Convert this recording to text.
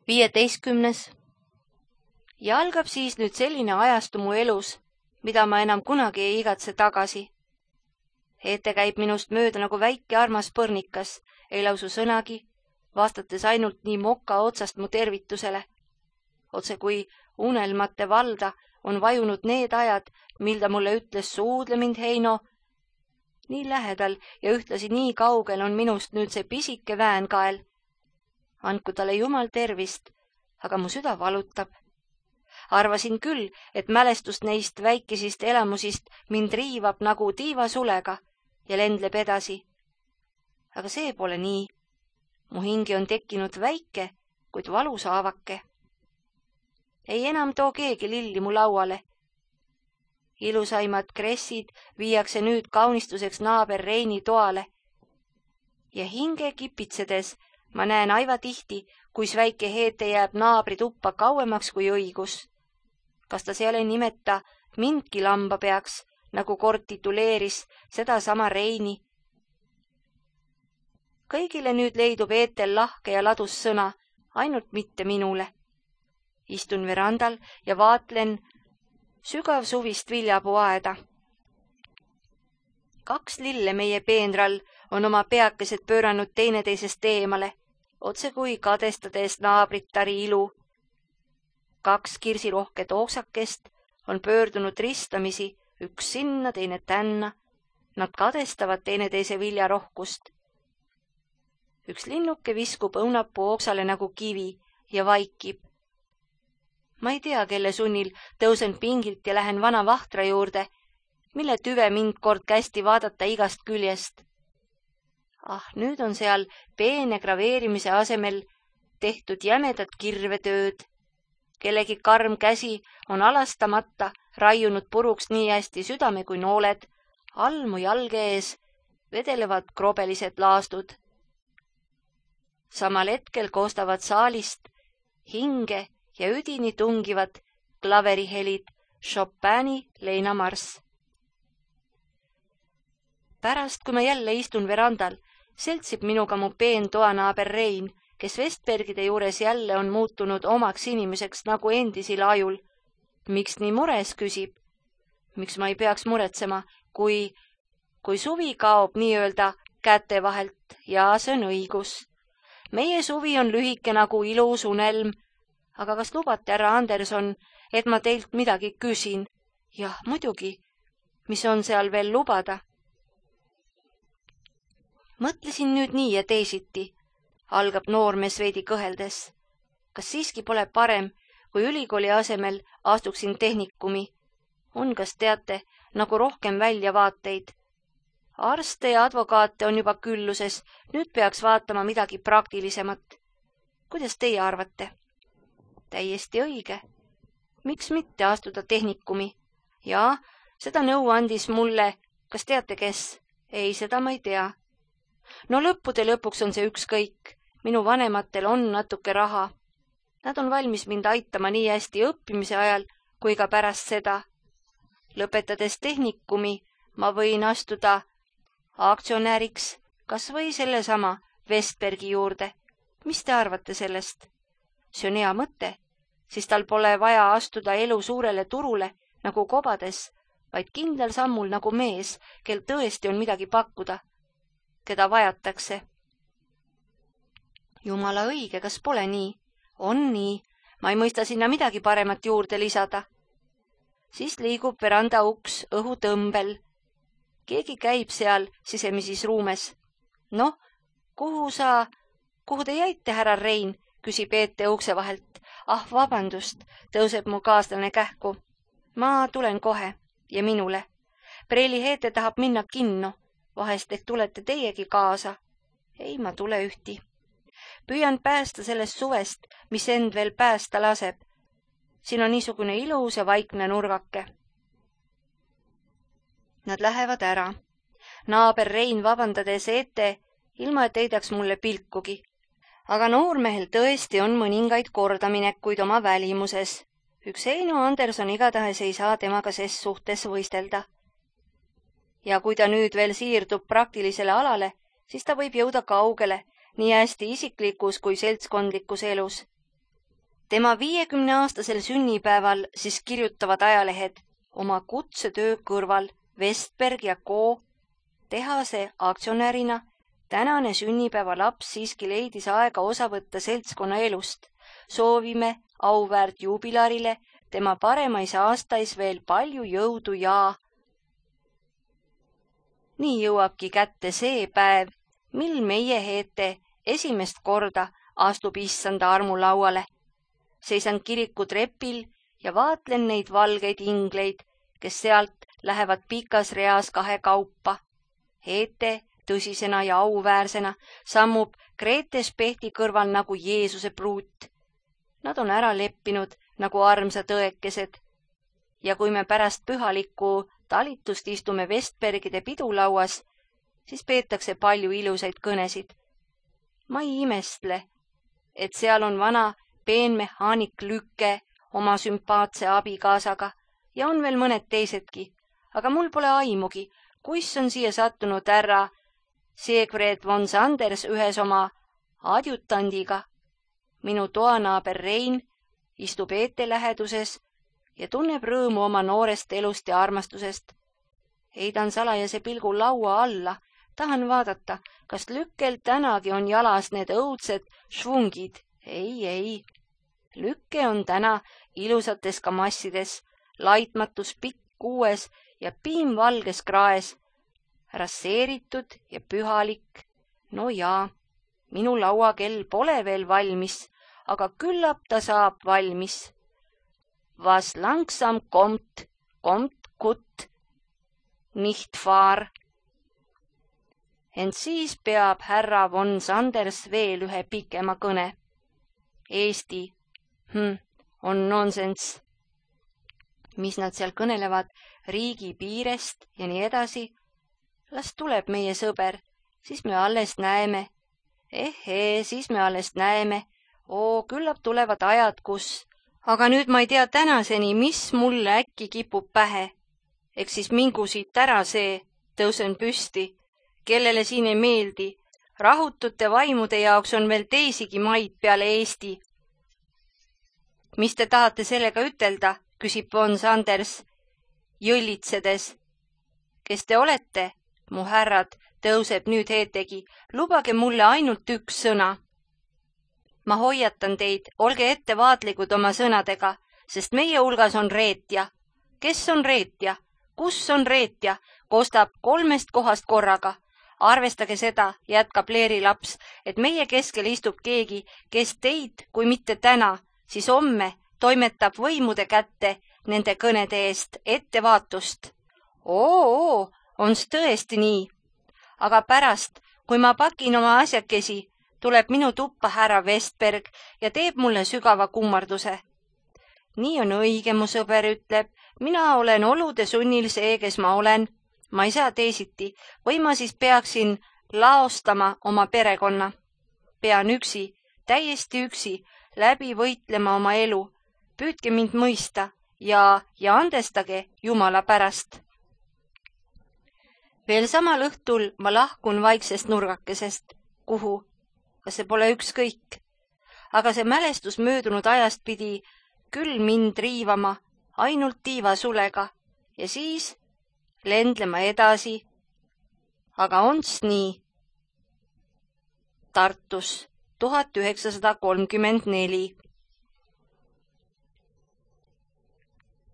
15. Ja algab siis nüüd selline ajastu mu elus, mida ma enam kunagi ei igatse tagasi. Ette käib minust mööda nagu väike armas põrnikas, ei lausu sõnagi, vastates ainult nii moka otsast mu tervitusele. Otse kui unelmate valda on vajunud need ajad, mil ta mulle ütles suudle mind, Heino. Nii lähedal ja ühtlasi nii kaugel on minust nüüd see pisike väänkael. Andku talle Jumal tervist, aga mu süda valutab. Arvasin küll, et mälestust neist väikesist elamusist mind riivab nagu tiivasulega ja lendleb edasi. Aga see pole nii. Mu hingi on tekkinud väike, kuid valus haavake. Ei enam too keegi lilli mu lauale. Ilusaimad kressid viiakse nüüd kaunistuseks naaber Reini toale. Ja hinge kipitsedes ma näen aiva tihti, kuis väike Heete jääb naabri tuppa kauemaks kui õigus. Kas ta seal ei nimeta mindki lamba peaks, nagu kord tituleeris sedasama Reini? Kõigile nüüd leidub Eetel lahke ja ladus sõna, ainult mitte minule. Istun verandal ja vaatlen sügav suvist viljapuuaeda. 2 lille meie peenral on oma peakesed pööranud teineteisest eemale, otse kui kadestades naabritari ilu. 2 kirsirohket ooksakest on pöördunud ristamisi, üks sinna, teine tänna. Nad kadestavad teineteise viljarohkust. Üks linnuke viskub õunapuu ooksale nagu kivi ja vaikib. Ma ei tea, kelle sunnil tõusen pingilt ja lähen vana vahtra juurde, mille tüve mind kord kästi vaadata igast küljest. Nüüd on seal peene graveerimise asemel tehtud jämedat kirvetööd. Kellegi karm käsi on alastamata raiunud puruks nii hästi südame kui nooled, all mu jalge ees vedelevad krobelised laastud. Samal hetkel koostavad saalist hinge ja üdini tungivad klaverihelid Chopini leinamarss. Pärast, kui ma jälle istun verandal, seltsib minuga mu peen toanaaber Rein, kes Vestbergide juures jälle on muutunud omaks inimeseks nagu endisil ajul. Miks nii mures, küsib? Miks ma ei peaks muretsema, kui suvi kaob nii-öelda käte vahelt, ja see on õigus. Meie suvi on lühike nagu ilus unelm, aga kas lubate, härra Anderson, et ma teilt midagi küsin? Jah, muidugi. Mis on seal veel lubada? Mõtlesin nüüd nii ja teisiti, algab noormees veidi kõheldes. Kas siiski pole parem, kui ülikooli asemel astuksin tehnikumi? On, kas teate, nagu rohkem väljavaateid. Arste ja advokaate on juba külluses, nüüd peaks vaatama midagi praktilisemat. Kuidas teie arvate? Täiesti õige. Miks mitte astuda tehnikumi? Jaa, seda nõu andis mulle, kas teate kes? Ei, seda ma ei tea. No lõppude lõpuks on see ükskõik. Minu vanematel on natuke raha. Nad on valmis mind aitama nii hästi õppimise ajal kui ka pärast seda. Lõpetades tehnikumi ma võin astuda aktsionäriks, kas või sellesama Vestbergi juurde. Mis te arvate sellest? See on hea mõte, siis tal pole vaja astuda elu suurele turule nagu kobades, vaid kindlal sammul nagu mees, kel tõesti on midagi pakkuda, keda vajatakse. Jumala õige, kas pole nii? On nii, ma ei mõista sinna midagi paremat juurde lisada. Siis liigub veranda uks õhutõmbel. Keegi käib seal sisemises ruumes. Noh, kuhu te jäite, härra Rein, küsib Eete ukse vahelt. Vabandust, tõuseb mu kaaslane kähku. Ma tulen kohe ja minule. Preili Heete tahab minna kinno. Vahest ehk tulete teiegi kaasa? Ei, ma tule ühti. Püüan päästa sellest suvest, mis end veel päästa laseb. Siin on niisugune ilus ja vaikne nurgake. Nad lähevad ära. Naaber Rein vabandades Eete, ilma et heidaks mulle pilkugi. Aga noormehel tõesti on mõningaid kordaminekuid oma välimuses. Üks Heino Anderson igatahes ei saa temaga ses suhtes võistelda. Ja kui ta nüüd veel siirdub praktilisele alale, siis ta võib jõuda kaugele, nii hästi isiklikus kui seltskondlikus elus. Tema 50-aastasel sünnipäeval siis kirjutavad ajalehed oma kutsetöö kõrval Vestberg ja Co. tehase aktsionärina tänane sünnipäeva laps siiski leidis aega osa võtta seltskonna elust. Soovime auväärt juubilarile tema paremais aastais veel palju jõudu ja... Nii jõuabki kätte see päev, mil meie Heete esimest korda astub issanda armulauale. Seisan kiriku trepil ja vaatlen neid valgeid ingleid, kes sealt lähevad pikas reas kahekaupa. Heete tõsisena ja auväärsena sammub Grete Spehti kõrval nagu Jeesuse pruut. Nad on ära leppinud nagu armsad õekesed. Ja kui me pärast pühalikku talitust istume Vestbergide pidulauas, siis peetakse palju ilusaid kõnesid. Ma ei imestle, et seal on vana peenmehaanik Lükke oma sümpaatse abikaasaga ja on veel mõned teisedki, aga mul pole aimugi, kuis on siia sattunud härra Siegfried von Sanders ühes oma adjutandiga. Minu toanaaber Rein istub Eete läheduses ja tunneb rõõmu oma noorest elust ja armastusest. Heidan salajase pilgu laua alla, tahan vaadata, kas Lükkel tänagi on jalas need õudsed švungid. Ei. Lükke on täna ilusates kamassides, laitmatus pikk kuues ja piimvalges kraes, rasseeritud ja pühalik. No jaa, minu lauakell pole veel valmis, aga küllap ta saab valmis. Was langsam kommt gut, nicht wahr? Ent siis peab härra von Sanders veel ühe pikema kõne. Eesti, on nonsenss. Mis nad seal kõnelevad riigi piirest ja nii edasi? Las tuleb meie sõber, siis me alles näeme. Siis me alles näeme. Küllap tulevad ajad, kus... Aga nüüd ma ei tea tänaseni, mis mulle äkki kipub pähe. Eks siis mingu siit ära see, tõusen püsti, kellele siin ei meeldi. Rahutute vaimude jaoks on veel teisigi maid peale Eesti. Mis te tahate sellega ütelda, küsib von Sanders, jõllitsedes. Kes te olete? Mu härrad, tõuseb nüüd Heetegi. Lubage mulle ainult üks sõna. Ma hoiatan teid, olge ettevaatlikud oma sõnadega, sest meie hulgas on reetja. Kes on reetja? Kus on reetja? Kostab 3 kohast korraga. Arvestage seda, jätkab Leeri laps, et meie keskel istub keegi, kes teid, kui mitte täna, siis homme toimetab võimude kätte nende kõnede eest ettevaatust. On's tõesti nii. Aga pärast, kui ma pakin oma asjakesi, tuleb minu tuppa härra Vestberg ja teeb mulle sügava kummarduse. Nii on õige, mu sõber ütleb, mina olen olude sunnil see, kes ma olen. Ma ei saa teisiti, või ma siis peaksin laostama oma perekonna. Pean üksi, täiesti üksi, läbi võitlema oma elu. Püüdke mind mõista ja andestage Jumala pärast. Veel samal õhtul ma lahkun vaiksest nurgakesest. Kuhu? Kas see pole ükskõik? Aga see mälestus möödunud ajast pidi küll mind riivama ainult tiivasulega ja siis lendlema edasi. Aga on's nii. Tartus 1934